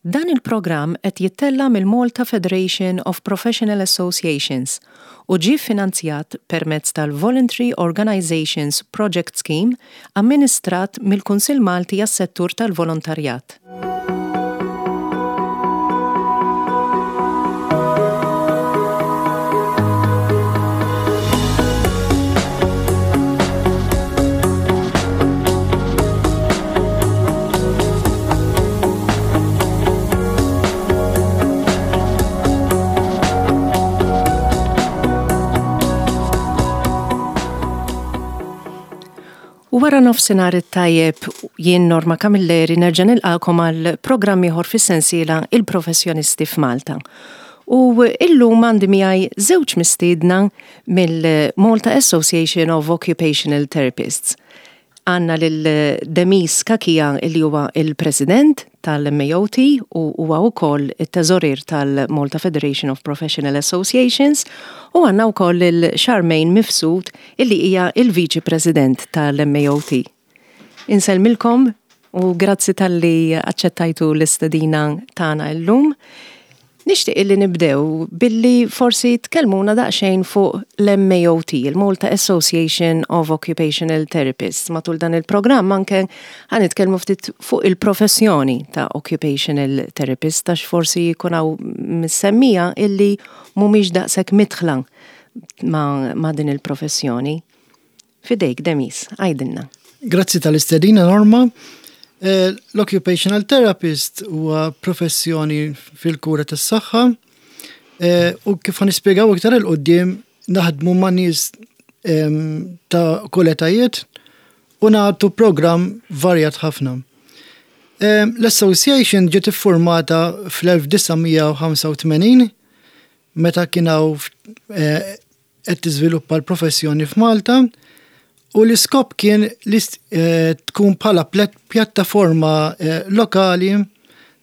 Dan il-programm qed jittella' mill-Malta Federation of Professional Associations u ġie ffinanzjat permezz tal-Voluntary Organisations Project Scheme amministrat mill-Kunsill Malti għas-Settur tal-Volontarjat. U wara nofsinhar it-tajjeb jien Norma Camilleri nerġa' nilqakom għal programm ieħor fis-sensiela Il-Professjonisti f'Malta. U illum għandi miegħi żewġ mistiedna mill-Malta Association of Occupational Therapists. Għandna lil Demis Cachia li huwa il-President tal-MAOT u huwa wkoll it-Teżorier tal-Malta Federation of Professional Associations u għandna wkoll lil Charmaine Mifsud illi hija il-Viċi President tal-MAOT. Insellmilkom u grazzi talli aċċettajtu l-istedina tagħna illum. Nixtieq illi nibdew billi forsi tkellmuna daqsxejn fuq l-MAOT, il-Malta Association of Occupational Therapists. Matul dan il-programm anke ħa nitkellmu ftit fuq il-professjoni ta' occupational therapist għax forsi jkun hawn mis-semmiegħa illi mhumiex daqshekk midħla ma', ma din il-professjoni. Fidejk, Demis, għidilna. Grazzi tal-istedina, Norma. Eh, l-occupational therapist huwa professjoni fil-kura tas-saħħa eh, u kif nispjegaw iktar il-qudiem naħdmu ma' nies ehm, ta' kull etajiet u nagħtu programm varjat ħafna. Ehm, l-association ġiet iffurmata fl-1985 meta kien hawn eh, qed tiżviluppa l-professjoni f'Malta u l-iskop kien li eh, tkun bħala pjattaforma eh, lokali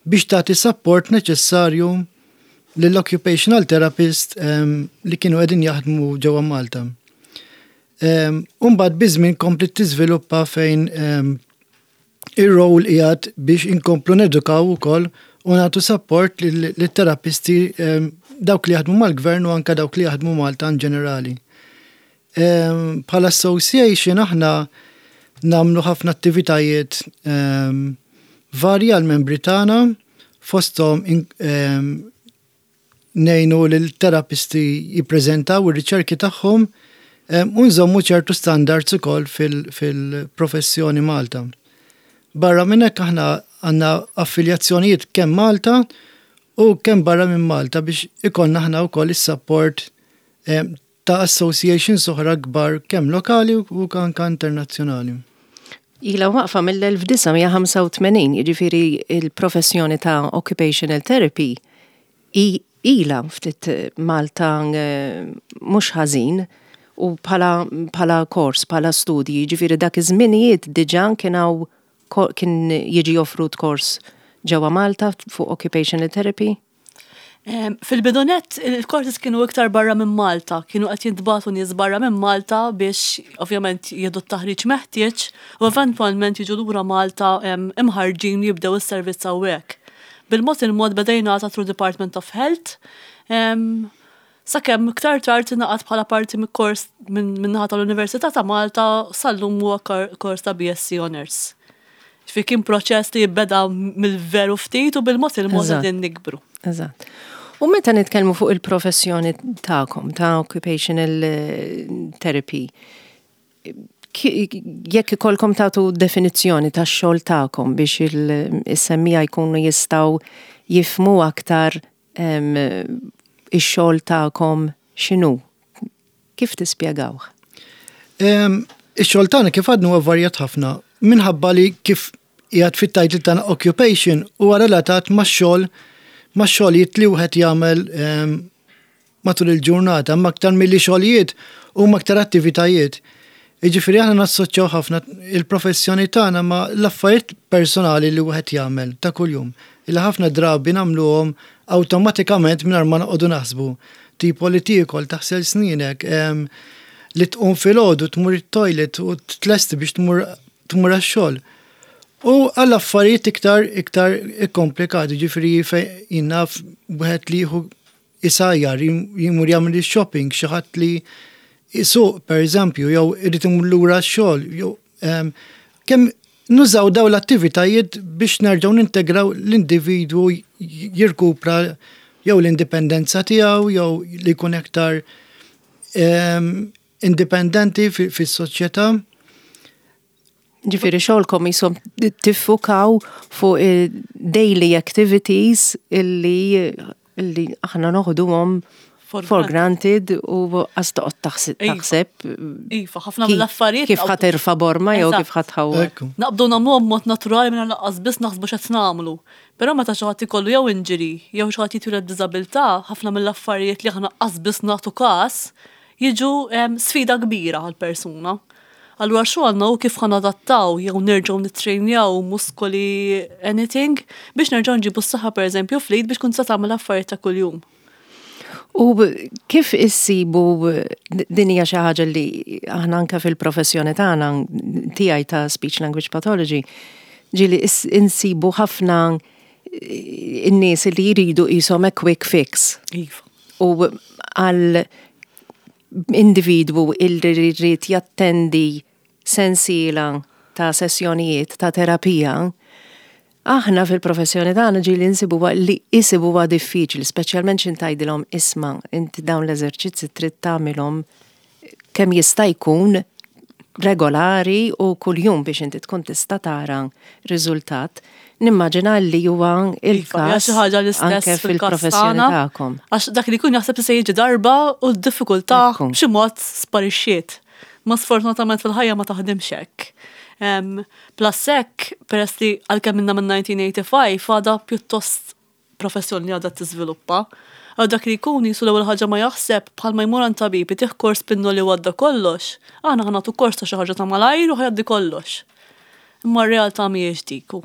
biex tagħti support neċessarju lill-occupational therapist ehm, li kienu qegħdin jaħdmu ġewwa Malta. Ehm, Umbagħad biż-żmien komplet tiżviluppa fejn ehm, Ir-role qiegħed biex inkomplu nedukaw ukoll u nagħtu support lit-terapisti ehm, dawk li jaħdmu mal-gvern u anke dawk li jaħdmu Malta in ġenerali. Ehm, bħala association aħna nagħmlu ħafna attivitajiet ehm, varji għal-membri tagħna fosthom ngħinu lill-terapisti jippreżentaw ir-riċerki tagħhom u nżommu ċertu standards ukoll fil-professjoni Malta. Barra minn hekk aħna għandna affiljazzjonijiet kemm Malta u kemm barra minn Malta biex ikollna aħna wkoll is-support ta' associations oħra kbar kemm lokali u anke internazzjonali. Ilha waqfa mill-1985, jiġifieri il-professjoni ta' occupational therapy ilha ftit Malta mhux ħażin u bħala bħala kors, bħala studji, jiġifieri dak iż-żminijiet diġà kien hawn kien jiġi offrut kors ġewwa Malta fuq occupational therapy? Fil-bidu nett, il-courses kienu iktar barra minn Malta, kienu qed jintbagħtu nies barra minn Malta biex ovvjament jieħdu t-taħriġ meħtieġ u eventwalment jiġu lura Malta imħarrġin jibdew is-servizz hawnhekk. Bil-mod il-mod beda jingħata through Department of Health, sakemm iktar tard ingħaqad bħala parti mill-kors min-naħa tal-Università ta' Malta sal-lum huwa kors ta' BSc Honours. Ġifieri kien proċess li beda mill-veru ftit u bil-mod il-mod qegħdin nikbru. Eżatt. U meta nitkellmu fuq il-professjoni tagħkom ta' occupational eh, therapy, jekk ikolkom tagħtu definizzjoni tax-xogħol tagħkom biex il-semmija jkunu jistgħu jifmu aktar ix-xogħol tagħkom x'inhu? Kif tispjegawh? Ix-xogħol tagħna kif għadna huwa varjat ħafna minħabba li kif qiegħed fit-title tagħna occupation huwa relatat max-xogħol max-xogħlijiet li wieħed jagħmel matul il-ġurnata, imma aktar milli xogħlijiet huma aktar attivitajiet. Jiġifieri aħna nassoċjaw ħafna il-professjoni tagħna ma' l-affarijiet personali li wieħed jagħmel ta' kuljum, illi ħafna drabi nagħmluhom awtomatikament mingħajr ma noqogħdu naħsbu. Tipo li tiekol, taħsel snienek, li tqum filgħodu tmur it-toilet u tlesti biex tmur tmur għax-xogħol. U għall affarijiet iktar iktar ikkomplikati, ġifieri fejn jien naf wieħed li jieħu isajjar, jimur jagħmel ix-shopping, xi ħadd li jsuq pereżempju, jew irid imur lura x-xogħol, jew kemm nużaw daw l-attivitajiet biex nerġgħu nintegraw l-individwu jirkupra jew l-indipendenza tiegħu jew li jkun aktar indipendenti fis-soċjetà. Ġifieri xogħolkom jisom tiffukaw fuq daily activities illi illi aħna noħduhom for granted u għas toqgħod taħseb. Iva, ħafna mill-affarijiet. Kif ħa terfa' borma jew kif ħa tħawwad. Naqbdu nagħmluhom b'mod naturali mingħajr lanqas biss naħsbu x'qed nagħmlu. Però meta xi ħadd ikollu jew injury jew xi ħadd jitwieled b'diżabilità, ħafna mill-affarijiet li aħna qas biss nagħtu każ jiġu sfida kbira għall-persuna. Allura xogħolna hu kif ħa nadattaw jew nerġgħu nittrejnjaw muskoli anything biex nerġgħu nġibu s-saħħa pereżempju fl-id biex tkun tista' tagħmel affarijiet ta' kuljum. U kif issibu din hija xi ħaġa li aħna anke fil-professjoni tagħna tiegħi ta' speech language pathology ġieli insibu ħafna in-nies li jridu qishom a quick fix. Iva. U għal individwu illi jrid jattendi sensiela ta' sessjonijiet ta' terapija, aħna fil-professjoni tagħna ġieli nsibuha li isibuha diffiċli, speċjalment x'in tgħidilhom isma' inti dawn l-eżerċizzi trid tagħmilhom kemm jista' jkun regolari u kuljum biex inti tkun tista' tara riżultat. Nimmaġina li huwa Iva, hija il-każ xi ħaġa l-istess anke fil-każ fil-professjoni tagħna. tagħkom. Għax dak li jkun jaħseb li se jiġi darba u d-diffikultà Ekku. b'xi mod sparixxiet. Ma sfortunatament fil-ħajja ma taħdimx hekk. Plus hekk, peress li għalkemm minna minn 1985 għadha pjuttost professjoni li għadha tiżviluppa. Għal dak li jkun jisu l-ewwel ħaġa ma jaħseb bħalma jmur għand tabib itih kors pinnoli u għadda kollox, aħna ħa nagħtu kors ta' xi ħaġa ta' malajr u ħa jgħaddi kollox. Imma r-realtà mhijiex dik. u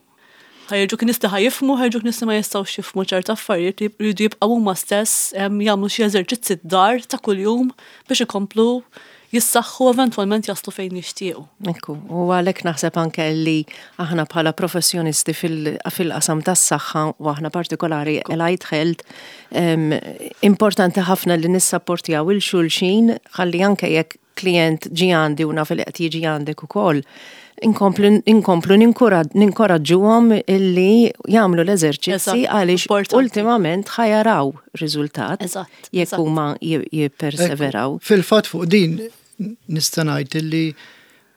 Ħa jiġuk nies li ħa jifhmu, ħa jiġuk nies li ma jistgħux jifhmu ċerta affarijiet li jridu jibqgħu huma stess jagħmlu xi eżerċizzi d-dar ta' kuljum biex ikomplu jissaħħu eventwalment jaslu fejn jixtiequ. Ekku, u għalhekk naħseb anke li aħna bħala professjonisti fil-qasam tas-saħħa u aħna partikolari Allied Health, importanti ħafna li nissapportjaw 'il xulxin ħalli anke jekk klient ġi għandi u naf li qed jiġi għandek ukoll, inkomplu inkomplu ninkoraġġuhom illi jagħmlu l-eżerċizzi għaliex ultimament ħa jaraw riżultat jekk huma jipperseveraw. Fil-fatt fuq din nista' ngħid illi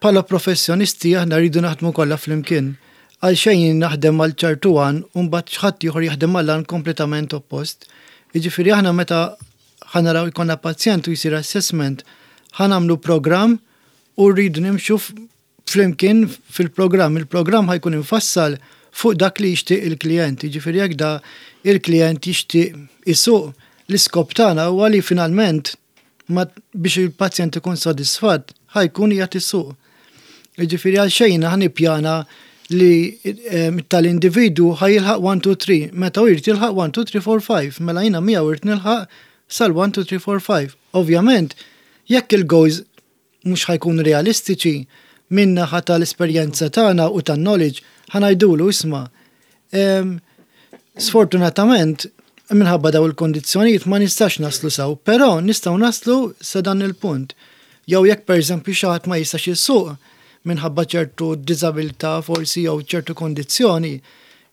bħala professjonisti aħna rridu naħdmu kollha flimkien. Għal xejn naħdem għal ċertu għan u mbagħad xi ħadd ieħor jaħdem għal għan kompletament oppost. Jiġifieri aħna meta ħa naraw jkollna pazjent u jsir assessment, ħa nagħmlu programm u rridu nimxu flimkien fil-programm. Il-programm ħa jkun infassal fuq dak li jixtieq il-klient. Jiġifieri jekk da il-klient jixtieq isuq, l-iskop tagħna huwa li finalment ma biex il-pazjent ikun sodisfatt ħa jkun qiegħed isuq. Jiġifieri għal xejn ħa nippjana li tal-individwu ħa jilħaq 1, 2, 3, meta hu jrid jilħaq 1, 2, 3, 4, 5, mela jiena miegħu rrid nilħaq sal 1, 2, 3, 4, 5. Ovvjament, jekk il-goals mhux ħa jkunu realistiċi, min-naħa tal-esperjenza tagħna u tan-knowledge ħa ngħidulu isma' sfortunatament minħabba daw il-kondizzjonijiet ma nistax naslu s'hawn, però nistgħu naslu sa dan il-punt. Jew jekk pereżempju xi ħadd ma jistax isuq minħabba ċertu diżabilità forsi jew ċertu kondizzjoni,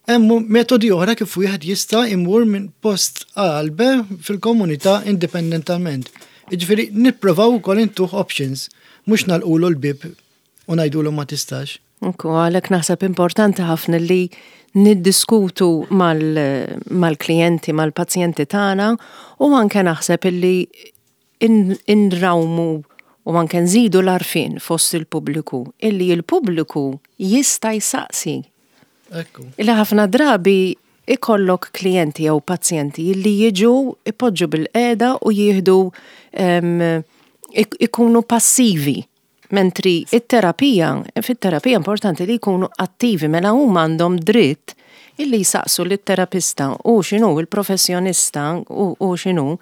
hemm metodi oħra kif wieħed jista' imur minn post A għal B fil-komunità indipendentalment. Jiġifieri nipprovaw ukoll intuh options, mhux nagħlqulu l-bieb u ngħidulu ma tistax. Ekku, għalhekk naħseb importanti ħafna li niddiskutu mal-klijenti, mal-pazjenti tagħna u anke naħseb illi inrawmu u anke nżidu l-għarfien fost il-pubbliku illi il-pubbliku jista' jsaqsi. Illi ħafna drabi ikollok klijenti jew pazjenti illi jiġu ipoġġu bil-qiegħda u jieħdu ikunu passivi. Mentri it-terapija, fit-terapija importanti li jkunu attivi, mela huma għandhom dritt illi jsaqsu lit-terapista u x'inhu il-professjonista u x'inhu,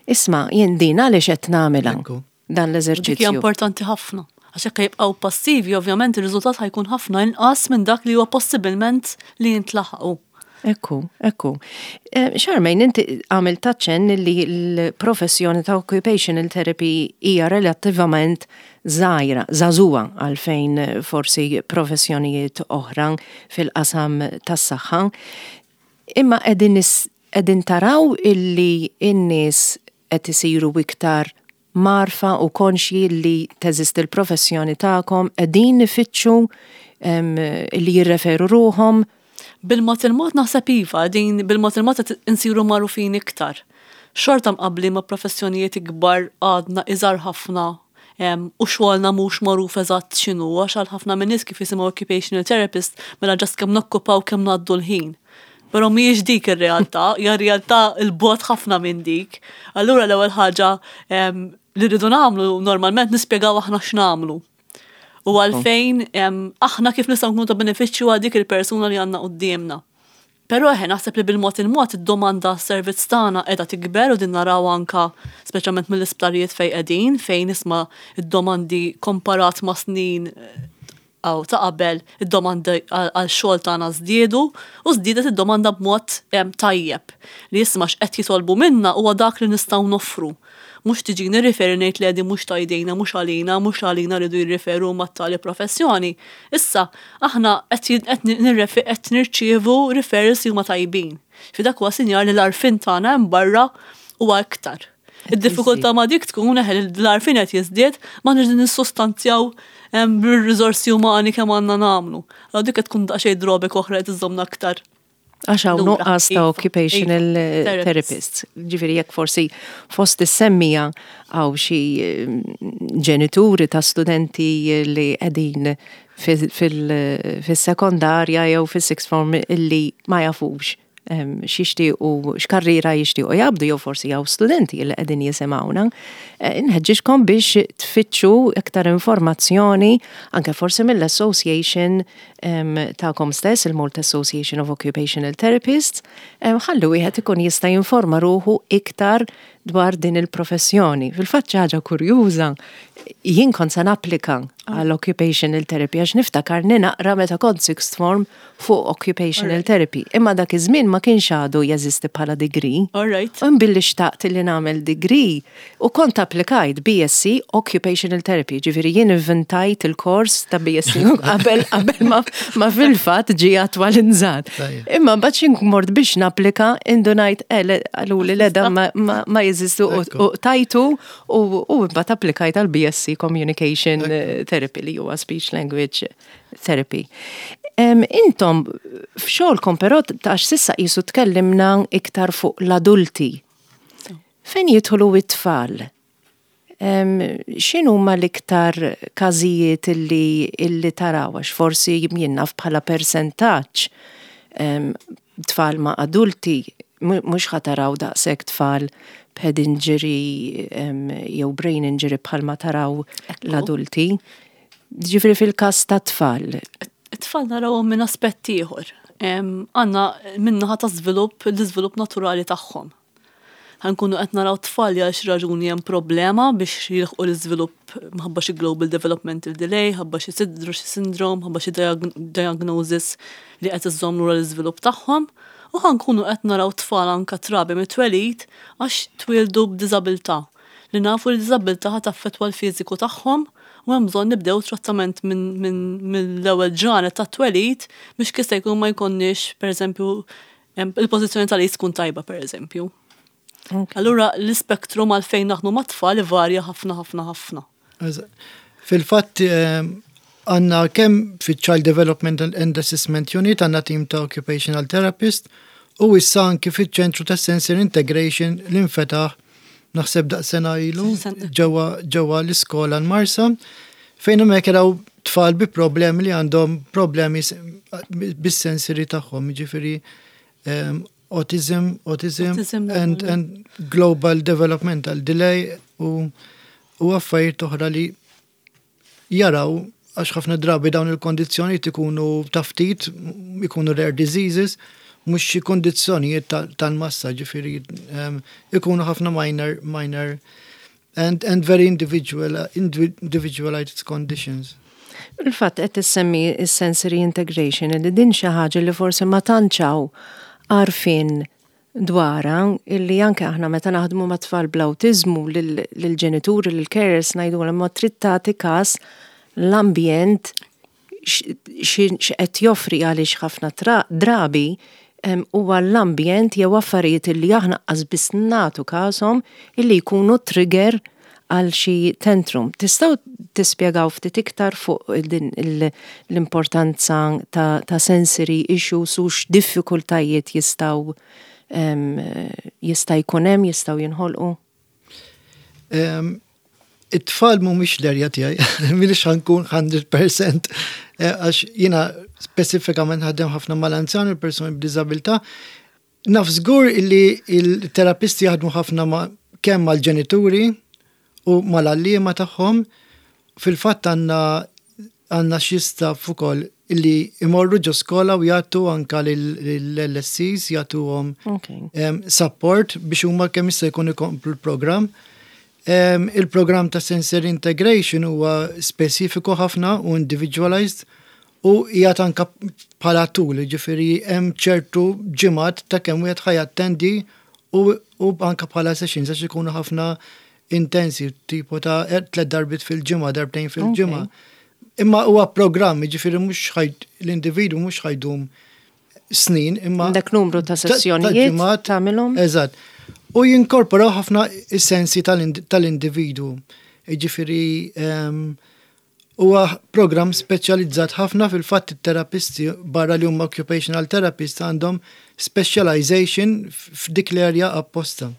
isma' jien din għaliex qed nagħmilha dan Dik hija l-eżerċizzju. importanti ħafna. Għax jekk jibqgħu passivi, ovvjament ir-riżultat ħa jkun ħafna inqas minn dak li huwa possibilment li jintlaħqu. Ekku, ekku. Charmaine, inti għamilt aċċenn li l-professjoni ta' occupational therapy hija relattivament żgħira, żagħżugħa għalfejn forsi professjonijiet oħra fil-qasam tas-saħħa. Imma qegħdin qegħdin taraw illi n-nies qed isiru iktar mgħarrfa u konxji li teżisti l-professjoni tagħkom, qegħdin ifittxu li jirreferu ruħhom? Bil-mod il-mod naħseb iva, din bil-mod il-mod qed insiru magħrufin iktar. Xorta mqabbli ma' professjonijiet ikbar għadna iżgħar ħafna u xogħolna mhux magħruf eżatt x'inhu, għax għal ħafna minn nies kif jisimgħu occupational therapist mela just kemm nokkupaw kemm ngħaddu l-ħin. Però mhijiex dik ir-realtà, hija realtà 'l bogħod ħafna minn dik. Allura l-ewwel ħaġa li rridu nagħmlu normalment nispjegaw aħna x'nagħmlu. U għalfejn aħna kif nistgħu nkunu ta' benefiċċju għal dik il-persuna li għandna quddiemna. Però eħe, naħseb li bil-mod il-mod id-domanda għas-servizz tagħna qiegħda tikber u din naraw anka speċjalment mill-isptarijiet fejn qegħdin, fejn isma' id-domandi komparat ma' snin aw ta' qabel, id-domandi għal xogħol tagħna żdiedu u żdiedet id-domanda b'mod tajjeb. Li isma' x'qed jitolbu minna huwa dak li nistgħu noffru. Mhux tiġi nirriferi ngħid li qegħdin mhux ta' jdejna, mhux għalina, mhux għalina rridu jirriferu mat-tali professjoni. Issa, aħna qed nirċievu referrals li huma tajbin. Fi dak huwa sinjal li l-għarfien tagħna hemm barra huwa iktar. Id-diffikultà ma' dik tkun eħe l-għarfien qed jiżdied, ma nix nissustanzjaw bir-riżorsi umani kemm għandna nagħmlu. Allura dik qed tkun daqsxejn drawback oħra qed iżżommna aktar. Għax hawn nuqqas ta' occupational therapists. Ġifieri jekk forsi fost is-semmija hawn xi ġenituri ta' studenti li qegħdin fis-sekondarja jew fis-sixth form illi ma jafux x'jixtiequ, x'karriera jixtiequ jaqbdu jew forsi hawn studenti li qegħdin jisimgħuna, inħeġġiġkom biex tfittxu iktar informazzjoni anke forsi mill-association tagħkom stess, il-Malta Association of Occupational Therapists, ħalli wieħed ikun jista' jinforma ruħu iktar dwar din il-professjoni. Fil-fatt xi ħaġa kurjuża, jien kont se napplika għal occupational therapy għax niftakar naqra meta kont sixth form fuq occupational therapy. Imma dak iż-żmien ma kienx għadu jeżisti bħala degree. U billi xtaqt li nagħmel degree u kont applikajt BSc Occupational Therapy, ġifieri jien inventajt il-kors ta' BSc qabel ma fil-fatt ġie attwalizzat. Imma mbagħad xi mort biex napplika indunajt qaluli le dan ma jeżistu u tajtu u mbagħad applikajt għal BSc Communication Therapy li huwa Speech Language Therapy. Intom f'xogħolkom però għax s'issa qisu tkellimna iktar fuq l-adulti. Fejn jidħlu it-tfal? X'inhuma l-iktar każijiet illi taraw għax forsi jien naf bħala persentaġġ tfal ma' adulti mhux ħa taraw daqshekk tfal b'head injury jew brain injury bħalma taraw l-adulti. Ġifieri fil-każ ta' tfal. It-tfal narawhom minn aspett ieħor. Għandna min-naħa ta' żvilupp, l-iżvilupp naturali tagħhom. Ħa nkunu qed naraw tfal li għal xi raġuni hemm problema biex jilħqu l-iżvilupp minħabba xi global developmental delay, ħabba xi xi syndrome, ħabba xi diagnosis li qed iżżomm lura l-iżvilupp tagħhom. U ħa nkunu qed naraw tfal anka trabi mit-twelid għax twildu b'diżabilità. Li nafu li diżabilità ħa taffettwa l-fiżiku tagħhom u hemm bżonn nibdew trattament mill-ewwel ġranet tat-twelid biex kista jkun ma jkollniex, pereżempju, il-pożizzjoni tal-id tkun tajba, pereżempju. Allura l-ispektrum għalfejn naħdmu mat-tfal ivarja ħafna ħafna ħafna. Fil-fatt għandna kemm fit-Child Development and Assessment Unit għandna team ta' occupational therapist u issa anki fiċ-ċentru ta' Sensory Integration li nfetaħ naħseb daqs sena ilu ġewwa l-iskola l-Marsa fejn hemmhekk jaraw tfal bi problemi li għandhom problemi bis-sensory tagħhom, jiġifieri autism and global developmental delay u affarijiet oħra li jaraw għax ħafna drabi dawn il-kondizzjonijiet ikunu ta' ftit, ikunu rare diseases, mhux xi kondizzjonijiet tal-massa, ġifieri ikunu ħafna minor. and very individual, individualized conditions. Il-fatt qed issemmi s-sensory integration li din xi ħaġa li forsi ma tantx hawn għarfien dwarha, illi anke aħna meta naħdmu ma' tfal bl-awtiżmu lill-ġenituri, lill-carers ngħidulhom ma trid tagħti każ l-ambjent x'qed joffri, għaliex ħafna drabi huwa l-ambjent jew affarijiet illi aħna qas biss nagħtu każhom illi jkunu trigger għal xi tantrum. Tistgħu tispjegaw ftit iktar fuq din l-importanza ta' sensory issues u x'diffikultajiet jistgħu jista' jkun hemm, jistgħu jinħolqu? It-tfal mhumiex l-erja tiegħi, m'iniex ħa nkun 100%, għax jiena speċifikament naħdem ħafna mal-anzjani u persuni b'diżabilità. Naf żgur illi il-terapisti jaħdmu ħafna ma' kemm mal-ġenituri u mal-għalliema tagħhom. Fil-fatt għandna xi staff ukoll illi imorru ġo skola u jagħtu anka lill-LSCs, jagħtuhom support biex huma kemm jista' jkun ikomplu l-programm. Il-programm ta' sensory integration huwa speċifiku ħafna u individualized u qiegħed anka bħala tool, ġifieri hemm ċertu ġimgħat ta' kemm wieħed ħa jattendi u anka bħala sessions għax ikunu ħafna intensi, tipo ta' tliet darbiet fil-ġimgħa, darbtejn fil-ġimgħa. Imma huwa programm, ġifieri mhux l-individwu mhux ħa jdum snin, imma Dak numru ta' sessjonijiet tagħmilhom? Eżatt. U jinkorporaw ħafna is-sensi tal-individwu. Ġifieri huwa programm speċjalizzat ħafna. Fil-fatt it-terapisti barra li huma occupational therapist għandhom specialization f'dik l-area apposta.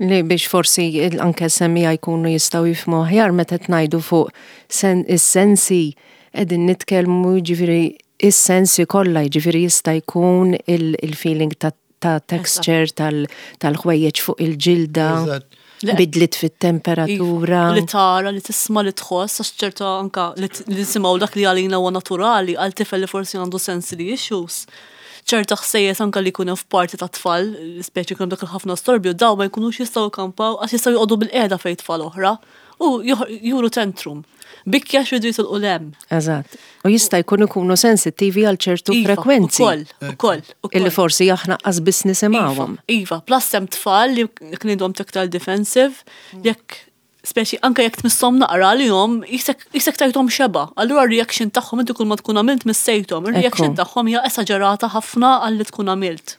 Li biex forsi anke semmiegħa jkunu jistgħu jifhmu aħjar, meta ngħidu fuq is-sensi qegħdin nitkellmu ġifieri is-sensi kollha, ġifieri jista' jkun il-feeling ta' texture tal-ħwejjeġ fuq il-ġilda, bidlit fit-temperatura. Li tara, li tisma', li tħoss, għax ċerta anka li nisimgħu dak li għalina huwa naturali, għal tifel li forsi għandu sensory issues. ċerta ħsejjes anka li jkunu f'parti ta' tfal, speċi jkunu dak il-ħafna storbju, daw ma jkunux jistgħu jkampaw għax jistgħu joqogħdu bil-qiegħda fejn tfal oħra u juru tantrum. Bikja xridu jitilqu 'l hemm. Eżatt. U jista' jkun ikunu sensittivi għal ċertu frekwenzi. Ukoll, ukoll. Illi forsi aħna qas biss nisimgħuhom. Iva, plus hemm tfal li ngħidulhom tactile defensive, jekk speċi anke jekk tmisshom naqra li jom jisek tajthom xeba. Allura reaction tagħhom, inti kull ma tkun għamilt missejthom, ir-reaction tagħhom hija esaġerata ħafna għal li tkun għamilt.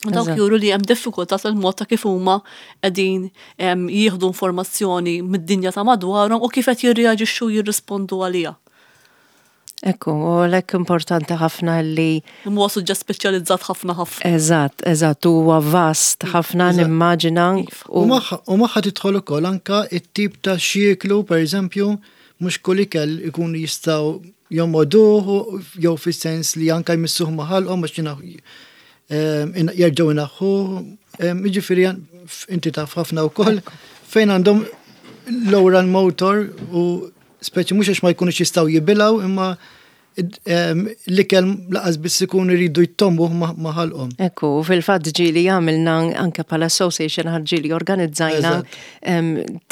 U dawk juru li hemm diffikultà tal-mod ta' kif huma qegħdin jieħdu informazzjoni mid-dinja ta' madwarhom u kif qed jirreaġixxu, jirrispondu għaliha. Ekku, u għalhekk importanti ħafna li Huwa suġġett speċjalizzat ħafna ħafna. Eżatt, huwa vast ħafna, nimmaġina. U magħha tidħol ukoll anka it-tip ta' x'jieklu, per eżempju, mhux kull ikel ikunu jistgħu jomogħduh jew fis-sens li anka jmissuh ma' ħalqhom għax jerġgħu inaħħu. Jiġifieri inti taf ħafna wkoll fejn għandhom l-oral motor u speċi mhux għax ma jkunux jistgħu jibilgħu, imma l-ikel lanqas biss ikun iridu jtommu ma' ħalqhom. Ekku, fil-fatt ġieli għamilna anke bħala association, ġieli organizzajna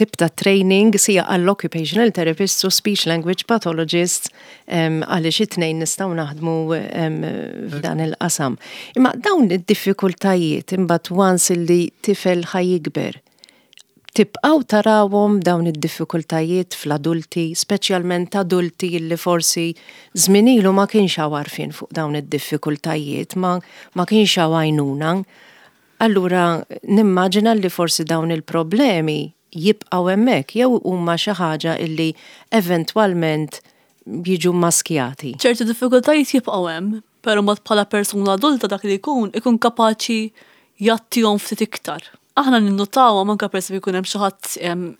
tip ta' training sija għall-occupational therapists u speech language pathologists, għaliex it-tnejn nistgħu naħdmu f'dan il-qasam. Imma dawn id-diffikultajiet imbagħad once li tifel ħa jikber, tibqaw tarawhom dawn id-diffikultajiet fl-adulti, speċjalment adulti li forsi żmien ilu ma kienx hawn għarfien fuq dawn id-diffikultajiet, ma kienx hawn għajnuna. Allura nimmaġina li forsi dawn il-problemi jibqgħu hemmhekk jew huma xi ħaġa illi eventwalment jiġu maskjati. Ċerti diffikultajiet jibqgħu hemm, però mod bħala persuna adulta dak li jkun ikun kapaċi jgħattihom ftit iktar. Aħna ninnotawhom anke per jkun hemm xi ħadd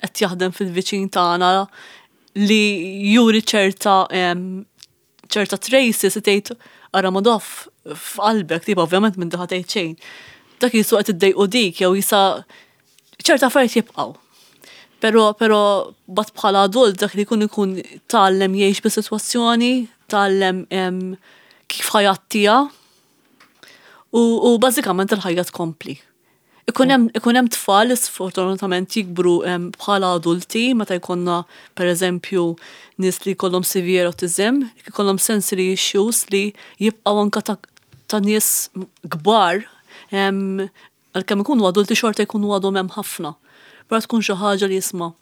qed jaħdem fil-viċin tagħna li juri ċerta traces, tgħid ara madoff f'qalbek, tipo ovvjament minn daħa tgħid xejn. Dak jisu qed iddejqu dik jew jisa ċerta affarijiet jibqgħu. Pero bat bħala adult dak li jkun ikun tgħallem jgħix bis-sitwazzjoni, tgħallem kif ħa jgħattiha u bażikament il-ħajja tkompli. Ikun hemm ikun hemm tfal li sfortunatament jikbru bħala adulti meta jkollna pereżempju nies li jkollhom severe autism, jkollhom sensory issues li jibqgħu anka ta' ta' nies kbar għalkemm ikunu adulti xorta jkunu għadhom hemm ħafna. Però tkun xi ħaġa li jisma'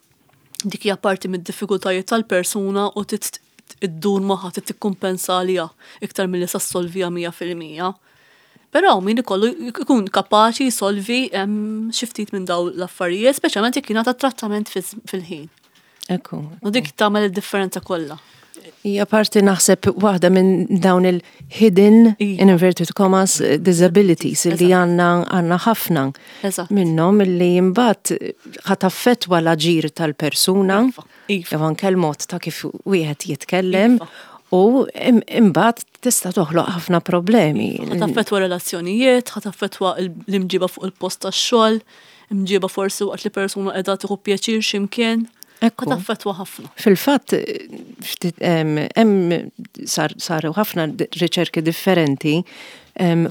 dik hija parti mid-diffikultajiet tal-persuna u trid iddur magħha trid tikkumpensa għaliha iktar milli sa ssolviha 100%. Però min ikollu jkun kapaċi jsolvi xi ftit minn dawn l-affarijiet, speċjalment jekk jingħata trattament fil-ħin. Ekku. U dik tagħmel id-differenza kollha. Hija parti naħseb waħda minn dawn il-hidden, in inverted commas, disabilities li għandna għandna ħafna minnhom li imbagħad ħa taffettwa l-aġir tal-persuna, iva, iva. jew anke l-mod ta' kif wieħed jitkellem. Iva. U imbagħad tista' toħloq ħafna problemi. Ħa taffettwa relazzjonijiet, ħa taffettwa l-imġiba fuq il-post tax-xogħol, imġiba forsi waqt li persuna qiegħda tieħu pjaċir x'imkien. Ekku. Taffettwa ħafna. Fil-fatt, hemm saru ħafna riċerki differenti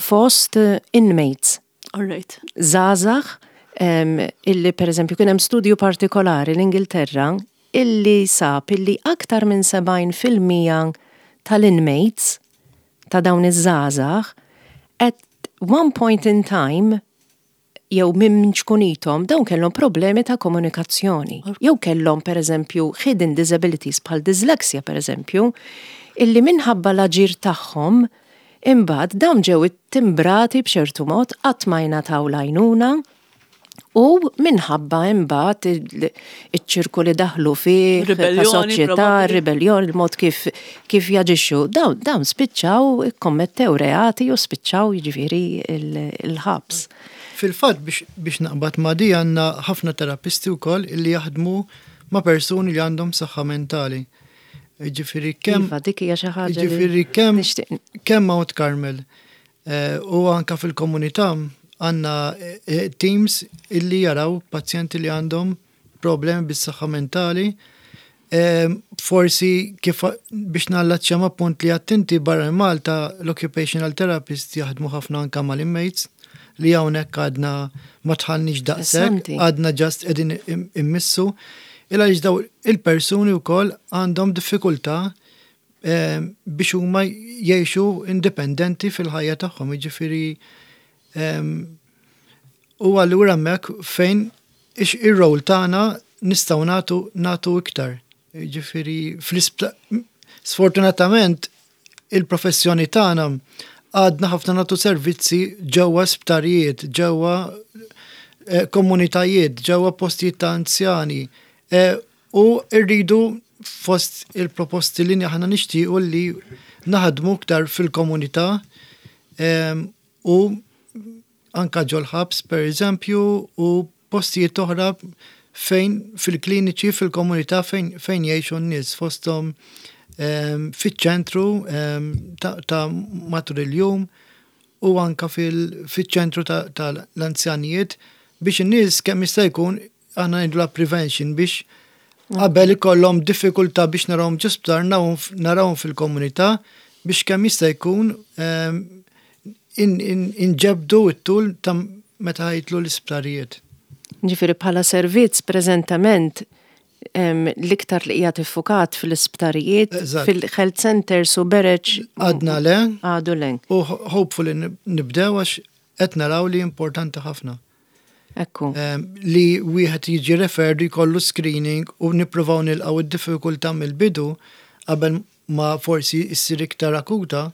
fost inmates. All right. Żgħażagħ illi pereżempju kien hemm studju partikolari l-Ingilterra illi sab illi aktar minn 70% tal-inmates ta' dawn iż-żgħażagħ at one point in time jew minn ċkunithom dawn kellhom problemi ta' komunikazzjoni. Jew kellhom pereżempju hidden disabilities bħal dyslexia pereżempju, illi minħabba l-aġir tagħhom imbagħad dawn ġew ittimbrati b'ċertu mod qatt ma jingħataw l-għajnuna u minħabba imbagħad iċ-ċirku li daħlu fih ta' soċjetà, ribellion, il-mod kif kif jaġixxu. Dawn dawn spiċċaw ikkommettew reati u spiċċaw jiġifieri l-ħabs. Fil-fatt biex biex naqbad ma' di għandna ħafna terapisti wkoll illi jaħdmu ma' persuni li għandhom saħħa mentali. Jiġifieri kemm Iva, dik hija xi ħaġa li Jiġifieri kemm kemm Mount Carmel U anka fil-komunità għandna teams illi jaraw pazjenti li għandhom problemi bis-saħħa mentali. Forsi kif biex nallaċċja ma' punt li għedt inti barra minn Malta l-occupational therapist jaħdmu ħafna anka mal-inmates li hawnhekk għadna ma dħalniex daqshekk, għadna just qegħdin immissu. Il għaliex daw il-persuni wkoll għandhom diffikultà biex huma jgħixu indipendenti fil-ħajja tagħhom, jiġifieri u allura hemmhekk fejn ir-role tagħna nistgħu nagħtu nagħtu iktar. Jiġifieri sfortunatament il-professjoni tagħna għadna ħafna nagħtu servizzi ġewwa sptarijiet, ġewwa eh, komunitajiet, ġewwa postijiet ta' anzjani. Eh, U rridu fost il-proposti li aħna nixtiequ li naħdmu iktar fil-komunità u anka ġol-ħabs per eżempju u postijiet oħra fejn fil-kliniċi fil-komunità fejn, fejn jgħixu n-nies fosthom fiċ-ċentru ta' matul il-jum u anka fiċ-ċentru tal-anzjanijiet biex in-nies kemm jista' jkun aħna ngħidulha prevention biex qabel ikollhom diffikultà biex narawhom ġo sptar narawhom fil-komunità biex kemm jista' jkun ehm, inġebdu t-tul ta' meta jitlu l-isptarijiet. Ġifieri bħala servizz preżentament ehm, l-iktar li qiegħed iffukat fl-isptarijiet, fil-health centers u bereġ. Għadna le. Għadu le. U hopefully nibdew għax qed naraw li importanti ħafna. Ekku. Li wieħed jiġi referred jkollu screening u nippruvaw nilqgħu d-diffikultà mill-bidu qabel ma forsi ssir iktar akuta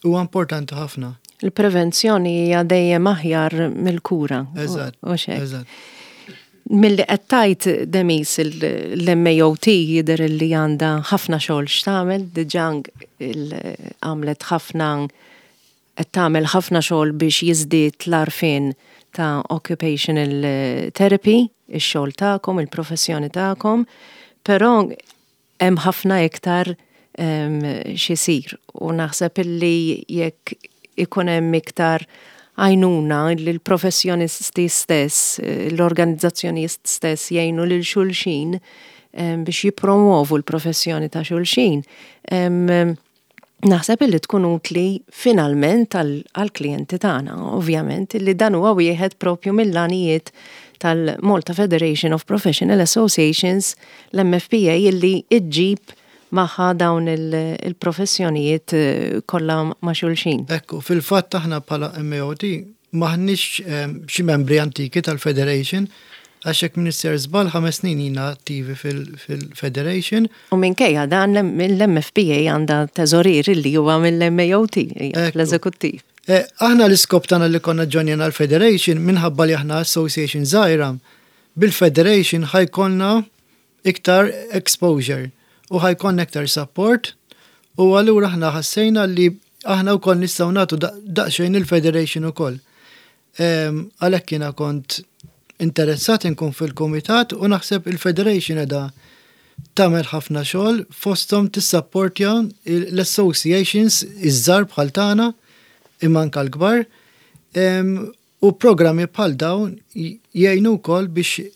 huwa importanti ħafna. Il-prevenzjoni hija dejjem aħjar mill-kura. Eżatt. Eżatt. Milli qed tgħid Demis l-MAOT jidher li għandha ħafna xogħol x'tagħmel, diġà għamlet ħafna qed tagħmel ħafna xogħol biex jiżdied l-għarfien ta' occupational therapy, ix-xogħol tagħkom, il-professjoni tagħkom, però hemm ħafna iktar x'isir u naħseb illi jekk ikun hemm iktar għajnuna li l-professjonisti stess, l-organizzazzjonijiet stess jgħinu lil xulxin biex jippromovu l-professjoni ta' xulxin. Naħseb illi tkun utli finalment għall-klijenti tagħna, ovvjament, illi dan huwa wieħed propju mill-għanijiet tal-Malta Federation of Professional Associations, l-MFPA, illi iġġib magħha dawn il-professjonijiet kollha ma' xulxin. Ekku, fil-fatt aħna bħala MAOT m'aħniex xi membri antiki tal-Federation, għax jekk m'iniex sejjer żball 5 snin ilna attivi fil-Federation. U minkejja dan l-MFPA għandha teżorier li huwa mill-MAOT, l-eżekuttiv. Aħna l-iskop tagħna li konna ġonjena l-Federation minħabba li aħna association żgħira, bil-Federation ħa jkollna iktar exposure u ħa jkollna iktar support u allura aħna ħassejna li aħna wkoll nistgħu nagħtu daqsxejn il-Federation ukoll. Għalhekk jiena kont interessat inkun fil-kumitat u naħseb il-Federation qiegħda tagħmel ħafna xogħol fosthom tissapportja l-associations iż-żgħar bħal tagħna imma anke l-kbar u programmi bħal dawn jgħinu wkoll biex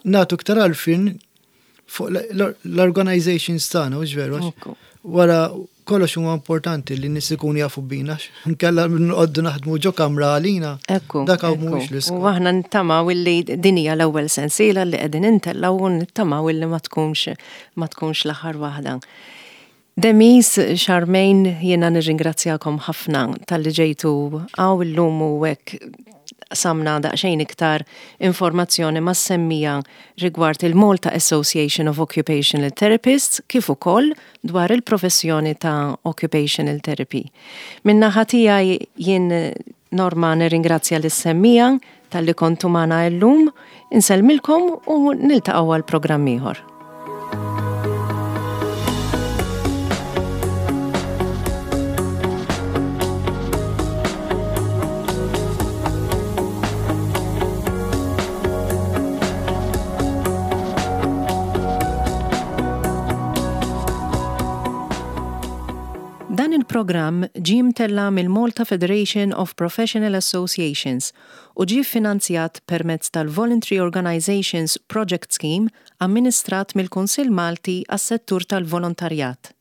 nagħtu iktar għarfien fuq l-organizations tagħna, hux veru? Wara kollox huwa importanti li nies ikunu jafu bina, nkella nqoddu naħdmu ġo kamra għalina. Dak hawn mhuwiex l-iskop. U aħna nittamaw illi din hija l-ewwel sensiela li qegħdin intellgħu u nittamaw illi ma tkunx l-aħħar waħda. Demis, Charmaine, jiena nirringrazzjakom ħafna talli ġejtu hawn illum u hekk qsamna daqsxejn iktar informazzjoni mas-semmiegħa rigward il-Malta Association of Occupational Therapists kif ukoll dwar il-professjoni ta' Occupational Therapy. Min-naħa tiegħi jien Norma nirringrazzja lis-semmiegħa talli kontu magħna illum, insellmilkom u niltaqgħu għal programm ieħor. Dan il-programm ġie mtella' mill-Malta Federation of Professional Associations u ġie ffinanzjat permezz tal-Voluntary Organisations Project Scheme amministrat mill-Kunsill Malti għas-Settur tal-Volontarjat.